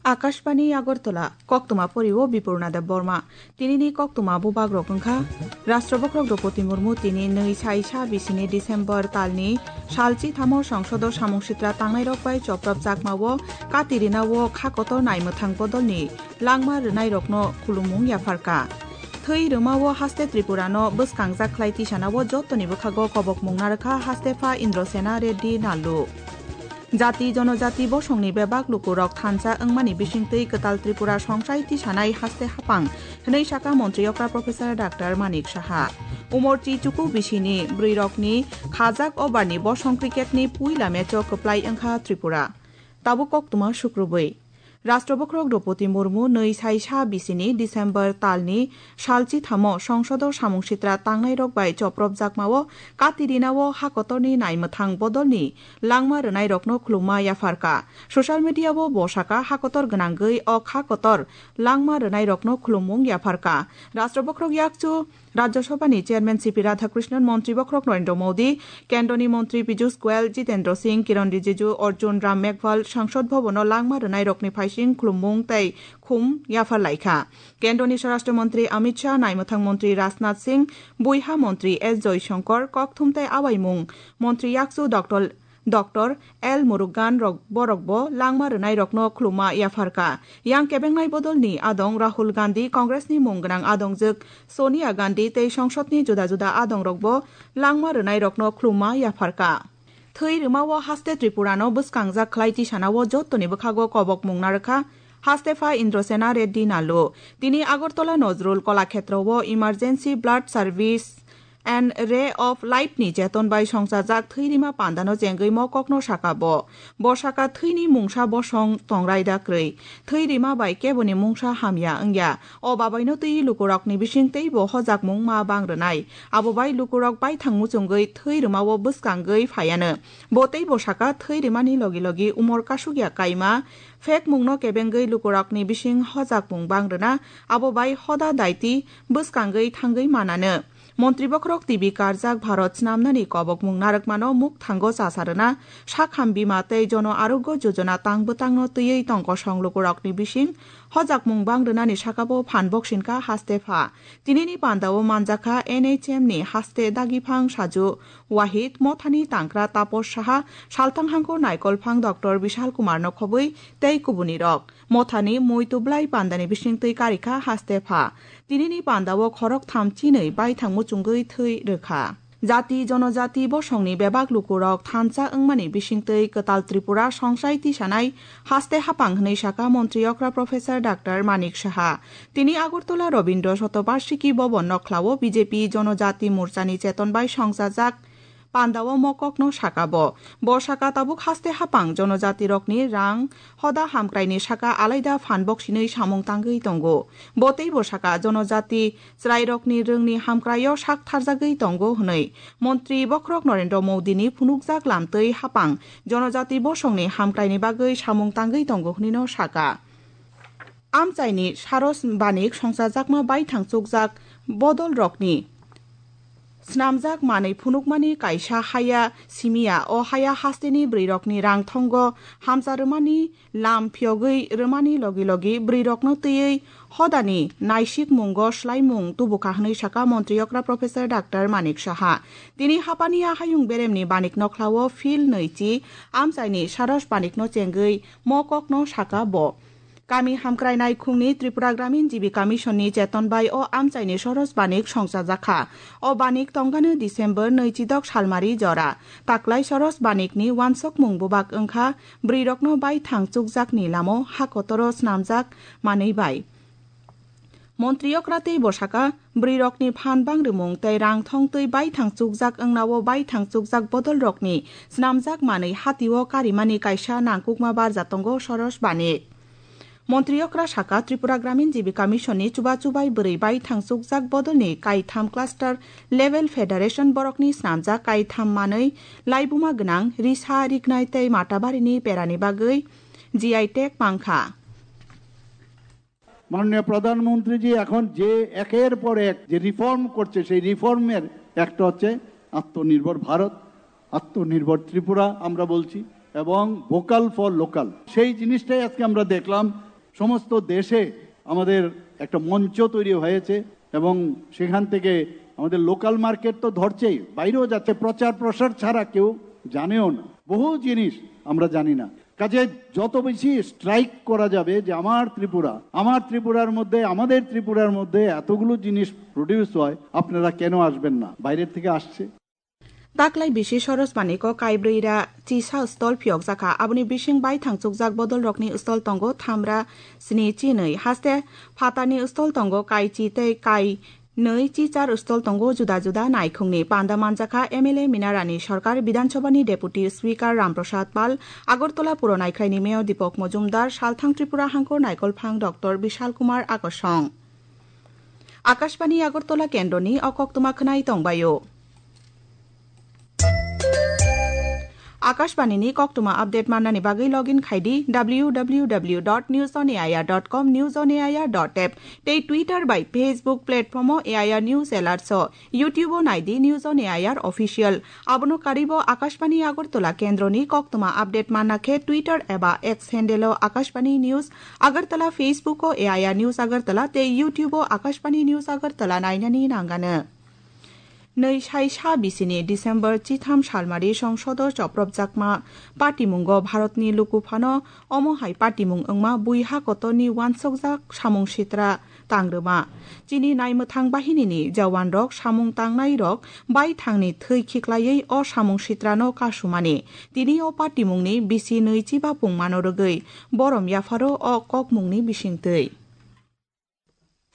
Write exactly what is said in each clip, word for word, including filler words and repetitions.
Akashbani Agartala, koktwma pori o Bipurna Debbarma. Tinini koktwma bubagrok wngkha, Rashtra Bokhorok Droupadi Murmu tini nwi sai sa bisini December talni salchi thamo Songsodo samung sitra tangnairok bai choprop chakmao kati rinao kha kotor naimwthang bodolni langma rwnairokno khulumung yapharkha. Thwi rwmao haste Tripurano bwskangjak khlai tisanao jottoni bwkhago kobokmung narwkha haste pha Indrasena Reddy Nallu. Jati jonojati bosongni bebak lukurok thansa wngmani bisingtwi kwtal Tripura songsai tisanai haste hapang hwnwi saka montri okra Professor Doctor Manik Saha. Umorchi chuku bisini bwrwirokni khajak obarni bosong cricketni puila matcho kwplai wngkha Tripura. Tabuk koktwma sukrubwi. Rashtra Bokhorok Droupadi Murmu nwi sai sa bisini December talni salchi thamo Songsodo samung sitra tangnairok bai chopropjakmao kati rinao ha kotorni naimwthang bodolni langma rwnairokno khulumma yapharkha. Social media-o bo saka ha kotor gwnangwi o kha kotor langma rwnairokno khulumung yapharkha. Rashtra Bokhorok yakchu Rajya Sabhani Chairman C P Radhakrishnan, Montri Bokhorok Narendra Modi, Kendroni Montri Piyush Goyal, Jitendra Singh, Kiran Rijiju, Arjun Ram Meghwal, Sangsad Bhavan-o langma rwnairokni phaising khulumung tei khum yapharlaikha. Kendroni Swarashtra Montri Amit Shah, Naimwthang Montri Rajnath Singh, Buiha Montri S Jaishankar, Kokthum tei Awaimung Montri yakchu Doctor Doctor L Murugan rok borokbo langma rwnairokno khulumma yapharkha. Yang kebengnai bodolni adong Rahul Gandhi, Congressni mung gwnang adongjwk Sonia Gandhi tei songsodni juda juda adongrokbo langma rwnairokno khulumma yapharkha. Thwi rwmao haste Tripurano bwskangjak khlai tisanao jottoni bwkhago kobokmung narwkha haste pha Indrasena Reddy Nallu. Tini Agartala Nazrul Kalakhetrao Emergency Blood Service and Ray of Life ni cheton bai songchajak thwi rima pandano chengwi mokokno saka bo. Bo saka thwini mungsa bosong tongrai da kwrwi. Thwi rima bai keboni mungsa hamya wngya. O babaino twi lukurokni bising teibo hojakmung ma bang rwnai. Abo bai lukurok baithang muchungwi thwi rwmao bwskangwi phaiano. Bo teibo saka thwi rimani logi logi umor kasukya kaima phekmungno kebengwi lukurokni bising hojakmung bang rwna. Abo bai hoda daiti bwskangwi thangwi manano. Montri Bokhorok T V karjak Bharat snamnani kobokmung narwkmano mukthango chasa rwna, sakham bima tei Jono Arogyo Jojona tang bwtangno twiwi tong kosong lukurokni bising hojakmung bang rwnani sakabo phan boksinka haste pha. Tinini pandao manjakha N H M ni haste dagiphang saju Wahid, Mothani tangkra Taposh Saha, salthang hangko naikolphang Doctor Bishal Kumar no khobwi tei kubunirok. Mothani mui tublai pandani bisingtwi karikha haste pha. Tinini pandao khorok tham chinwi baithang muchungwi thwi rwkha. Jati jonojati bosongni bebak lukurok thansa wngmani bisingtwi kwtal Tripura songsai tisanai haste hapang hwnwi saka montri okra Professor Doctor Manik Saha. Tini Agartala Rabindra Shatobarshiki Bhavan nokhlao B J P Jonojati Morchani cheton bai songchajak pandao mokokno saka bo. Bo saka tabuk haste hapang jonojatirokni rang hoda hamkraini saka alaida phan boksinwi samung tangwi tongo. Bo teibo saka jonojati chwrairokni rwngni hamkraio sak tharjagwi tongo hwnwi Montri Bokhorok Narendra Modini phunukjak lamtwi hapang jonojati bosongni hamkraini bagwi samung tangwi tongo hwnwino saka. Amchaini Saros Banik songchajakma baithang chukjak bodolrokni snamjak manwi phunukmani kaisa haya simiya. O haya hasteni bwrwirokni rang thongo hamcha rwmani lam phiyogwi rwmani logi logi bwrwirokno twiwi hodani naisikmungo swlaimung tubukha hwnwi saka montri okra Professor Doctor Manik Saha. Tini hapani a hayung beremni Banik nokhlao field nwichi amchaini Saros Banikno chengwi mo kokno saka bo. Kami hamkrai naikhungni Tripura Gramin Jibika Mission ni cheton bai o amchaini Saros Banik songchajakha. O banik tongano December nwichidok salmari jora. Taklai Saros Banik ni wansokmung bubak wngkha bwrwirokno baithang chukjakni lamo ha kotoro snamjak manwi bai. Montri okra tei bosaka bwrwirokni phan bang rwmung tei rang thong twi baithang chukjak wngnao baithang chukjak bodolrokni snamjak manwi hatio karimani kaisa nangkukma barja tongo Saros Banik. Montri okra saka Tripura Gramin Jibika Mission ni chubachu bai bwrwi baithang chukjak bodolni kaitham cluster level federation borokni snamjak kaitham manwi laibuma gwnang risa riknai tei matabarini perani bagwi G I tag mankha. মাননীয় প্রধানমন্ত্রীজি এখন যে একের পর এক যে রিফর্ম করছে, সেই রিফর্মের একটা হচ্ছে আত্মনির্ভর ভারত, আত্মনির্ভর ত্রিপুরা আমরা বলছি, এবং ভোকাল ফর লোকাল। সেই জিনিসটাই আজকে আমরা দেখলাম সমস্ত দেশে আমাদের একটা মঞ্চ তৈরি হয়েছে এবং সেখান থেকে আমাদের লোকাল মার্কেট তো ধরছেই, বাইরেও যাচ্ছে। প্রচার প্রসার ছাড়া কেউ জানেও না, বহু জিনিস আমরা জানি না। কাজে যত বেশি স্ট্রাইক করা যাবে যে আমার ত্রিপুরা, আমার ত্রিপুরার মধ্যে, আমাদের ত্রিপুরার মধ্যে এতগুলো জিনিস প্রডিউস হয়, আপনারা কেন আসবেন না? বাইরের থেকে আসছে। Taklai bisi Soros Maniko kaibrwi ra chisa stol phiyokjakha. Aboni bising bai thangchukjak bodol rokni stol tongo thamra sni chinwi. Haste phatani stol tongo kai chi tei kai nwi chi char stol tongo juda juda naikhungni. Panda manjakha M L A Mina Rani Sarkar, Bidhan Sabhani Deputy Speaker Ram Prasad Pal, Agartala Puro Naikhraini Mayor Deepak Majumdar, Salthang Tripura Hangkor Naikolphang Doctor Bishal Kumar Akosong. Akashbani Agartala kendroni o koktwma khwnai tongbaio. Akashbani ni koktwma update mannani bagwi login khai di W W W dot news on A I R dot com, news on A I R dot app tei Twitter bai Facebook platform o A I R News Alerts o, YouTube o nai di News on A I R Official. Abono karwi bo Akashbani Agartala kendroni koktwma update manna khe Twitter eba X handle o Akashbani News Agartala, Facebook o A I R News Agartala tei YouTube o Akashbani News Agartala nainani nangano. Nwi sai sa bisini December chitham salmari songsodo chopropjakma patimungo Bharatni lukuphano omo hai patimung wngma bui ha kotorni uansukjak samung sitra tangrwma. Chini naimwthang bahinini jawanrok samung tangnairok baithangni thwi khiklaiwi o samung sitrano kasumani. Tini o patimungni bisi nwi chiba pungmano rwgwi borom yapharo o kokmungni bisingtwi.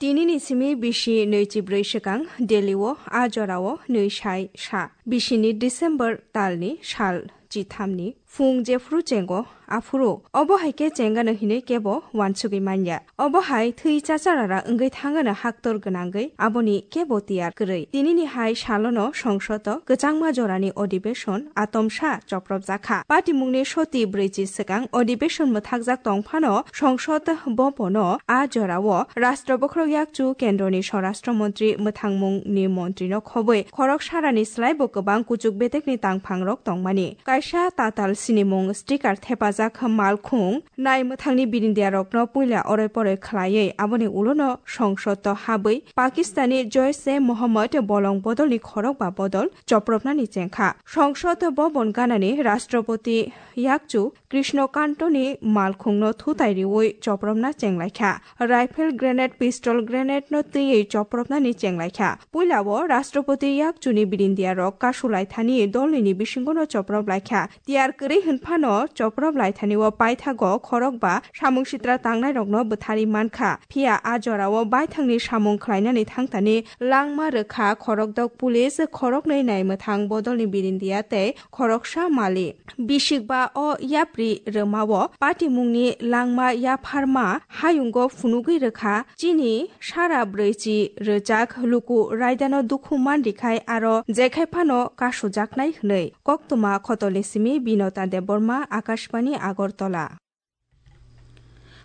Tinini simi bisi nwi chibrwi swkang Delhi o a jorao nwi sai sa. Bisini December talni sal chithamni phung jephuru chengo aphuru obo hai khe chengano hinwi kebo uansugwi manya. Obo hai thwi chacharara wngwi thangano haktor gwnangwi aboni kebo tiyar kwrwi. Tinini hai salono songsodo kwchangma jorani odibeshon atomsa chopropjakha. Patimungni soti brwichi swkang odibeshon mwthakjak tongphano songsod bobono a jorao Rashtra Bokhorok Yakchu Kendroni Swarashtra Montri mwthangmungni montrino khobwi khorok sarani slaibo kwbang kuchuk betekni tangphangrok tongmani. Kaisa tatal sinimung sticker thepajak malkhung nai mwthangni birindiarokno puila oroi poroi khlaiwi aboni ulono songsodo habwi Pakistani Joishe Mohammed bolong bodolni khorok ba bodol chopropnani chengkha. Songsod bobon ganani Rashtrapati yakchu Krishno Kantoni malkhungno thutai riwi chopropna chenglaikha. Rifle grenade, pistol grenade no twiwi chopropnani chenglaikha. Puilao Rashtrapati yakchuni birindiarok kasulaithani dolnini bisingono choprop laikha. Tiyar kwrwi hwnphano choprop laithani o paithago khorokba samung sitra tangnairokno bwthari mankha. Phiya a jorao baithangni samung khlainani thangtani langma rwkha khorokdok police, khoroknwi naimwthang bodolni birindia tei khoroksa mali. Bisikba o yapri rwmao patimungni langma yapharma hayungo phunugwi rwkha. Chini sara brwichi rwjak luku raidano dukhu manrikhai aro jekhai phano kasujaknai hwnwi. Koktwma khotolni simi Binota Debbarma, Akashbani, Agartala.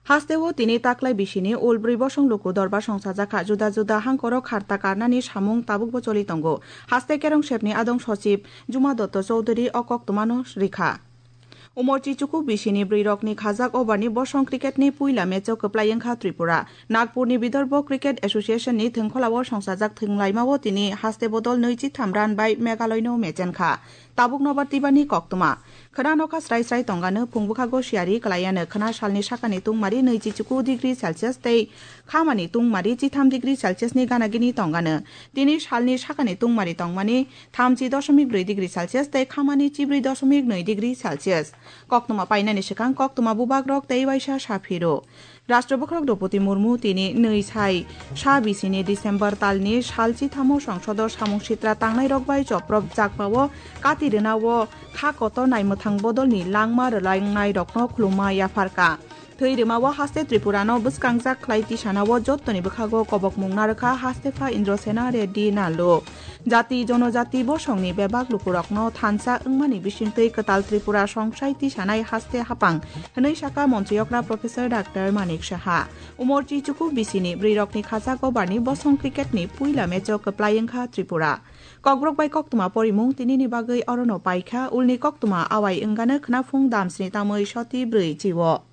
Hasteo tini taklai bisini ulbrwi bosong luku dorbar songsajakha, juda juda hangkoro kharta karnani samung tabukbo choli tongo. Haste Kerong sepni adong sochib Juma Dotto Chowdhury o koktwmano rikha. Umorchi chuku bisini bwrwirokni khajak overni bosong cricketni puila matcho kwplai wngkha Tripura. Nagpurni Vidarbha Cricket Associationni thwngkholao songsajak thwnglaimao tini haste bodol nwichi tham run bai Meghaloino mechenkha. Tabuk nobar tibani koktwma. Khwna nokha srai srai tongano, phung bwkhago siyari kwlaiano, khwna salni sakani tungmari nwichi chuku degree Celsius tei khamani tungmari chitham degree Celsiusni gana gini tongano. Tini salni sakani tungmari tongmani thamchi doshomik brwi degree Celsius tei khamani chibrwi doshomik nwi degree Celsius. Koktwma painani swkang koktwma bubagrok tei waisa saphiro. Rashtra Bokhorok Droupadi Murmu tini nwi sai sa bisini December talni sal chithamo songsodo samung sitra tangnairok bai choprop jakmao kati rwnao kha kotor naimwthang bodolni langma rwlaingnai rokno khulumma yapharkha. Thwi rwmao haste Tripurano bwskangjak khlai tisanao jottoni bwkhago kobokmung narwkha Hastepha Indrasena Reddy Nallu. Jati jonojati bosongni bebak lukurokno thansa wngmani bisingtwi kwtal Tripura songsai tisanai haste hapang hwnwi sakha montri okra Professor Doctor Manik Saha. Umorchi chuku bisini bwrwirokni khajak overni bosong cricketni puila matcho kwplai wngkha Tripura. Kokborok bai koktwma porimung tinini bagwi orono paikha, ulni koktwma awai wngano khwnaphung damsni tamwi soti brwi chiwo.